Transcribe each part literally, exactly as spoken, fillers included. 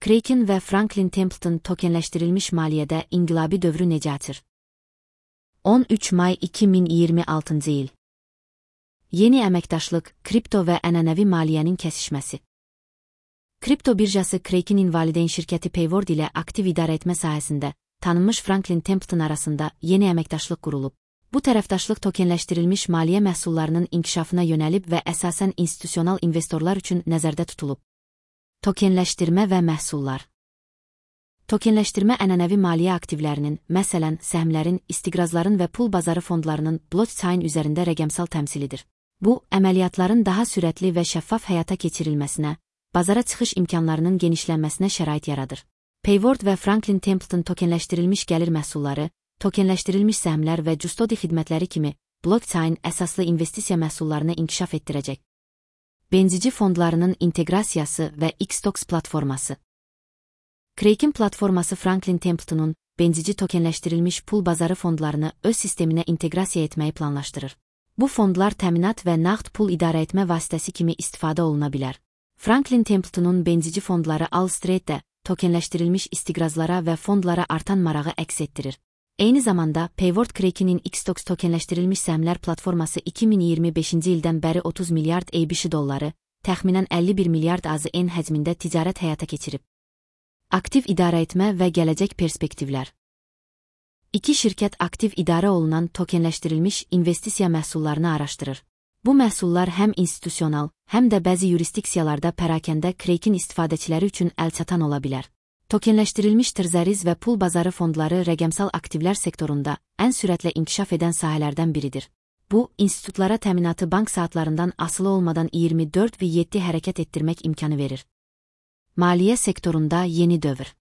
Kraken və Franklin Templeton tokenləşdirilmiş maliyyədə inqilabi dövrü necə açır? on üç may iki min iyirmi altıncı il. Yeni əməkdaşlıq, kripto və ənənəvi maliyyənin kəsişməsi. Kripto birjası Krakenin valideyn şirkəti Payward ilə aktiv idarəetmə sahəsində tanınmış Franklin Templeton arasında yeni əməkdaşlıq qurulub. Bu tərəfdaşlıq tokenləşdirilmiş maliyyə məhsullarının inkişafına yönəlib və əsasən institusional investorlar üçün nəzərdə tutulub. Tokenləşdirmə və məhsullar. Tokenləşdirmə ənənəvi maliyyə aktivlərinin, məsələn, səhmlərin, istiqrazların və pul bazarı fondlarının blockchain üzərində rəqəmsal təmsilidir. Bu, əməliyyatların daha sürətli və şəffaf həyata keçirilməsinə, bazara çıxış imkanlarının genişlənməsinə şərait yaradır. Payward və Franklin Templeton tokenləşdirilmiş gəlir məhsulları, tokenləşdirilmiş səhmlər və custodi xidmətləri kimi blockchain əsaslı investisiya məhsullarını inkişaf etdirəcək. Benzici fondlarının inteqrasiyası və X-Tox platforması. Kraken platforması Franklin Templeton'un benzici tokenləşdirilmiş pul bazarı fondlarını öz sisteminə inteqrasiya etməyi planlaşdırır. Bu fondlar təminat və nağd pul idarəetmə vasitəsi kimi istifadə oluna bilər. Franklin Templeton'un benzici fondları Allstreet'də tokenləşdirilmiş istiqrazlara və fondlara artan marağı əks etdirir. Eyni zamanda Payward Kraken'in X-Tox tokenləşdirilmiş səhmlər platforması iki min iyirmi beşinci ildən bəri otuz milyard A B S dolları, təxminən əlli bir milyard A Z N həcmində ticarət həyata keçirib. Aktiv idarəetmə və gələcək perspektivlər. İki şirkət aktiv idarə olunan tokenləşdirilmiş investisiya məhsullarını araşdırır. Bu məhsullar həm institusional, həm də bəzi yurisdiksiyalarda pərakəndə Kraken istifadəçiləri üçün əlçatan ola bilər. Tokenləşdirilmiş tərzəriz və pul bazarı fondları rəqəmsal aktivlər sektorunda ən sürətlə inkişaf edən sahələrdən biridir. Bu, institutlara təminatı bank saatlarından asılı olmadan iyirmi dörd saat yeddi hərəkət etdirmək imkanı verir. Maliyyə sektorunda yeni dövr.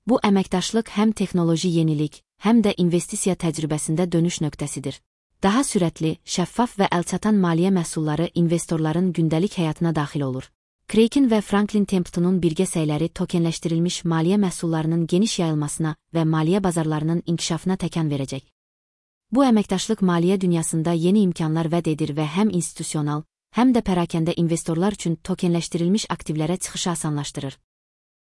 Bu əməkdaşlıq həm texnoloji yenilik, həm də investisiya təcrübəsində dönüş nöqtəsidir. Daha sürətli, şəffaf və əlçatan maliyyə məhsulları investorların gündəlik həyatına daxil olur. Kraken və Franklin Templeton'un birgə səyləri tokenləşdirilmiş maliyyə məhsullarının geniş yayılmasına və maliyyə bazarlarının inkişafına təkan verəcək. Bu əməkdaşlıq maliyyə dünyasında yeni imkanlar vəd edir və həm institusional, həm də pərakəndə investorlar üçün tokenləşdirilmiş aktivlərə çıxışı asanlaşdırır.